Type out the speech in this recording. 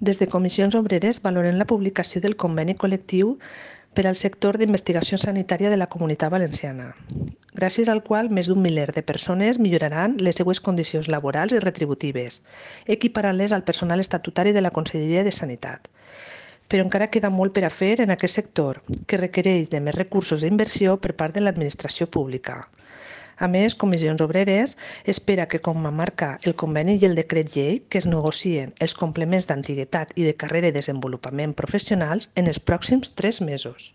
Des de Comissions Obreres valorem la publicació del conveni col·lectiu per al sector d'investigació sanitària de la Comunitat Valenciana, gràcies al qual més d'un miler de persones milloraran les seues condicions laborals i retributives, equiparant-les al personal estatutari de la Conselleria de Sanitat. Però encara queda molt per a fer en aquest sector, que requereix de més recursos d'inversió per part de l'administració pública. A més, Comissions Obreres espera que, com marca el conveni i el decret llei, que es negocien els complements d'antiguitat i de carrera i desenvolupament professionals en els pròxims 3 mesos.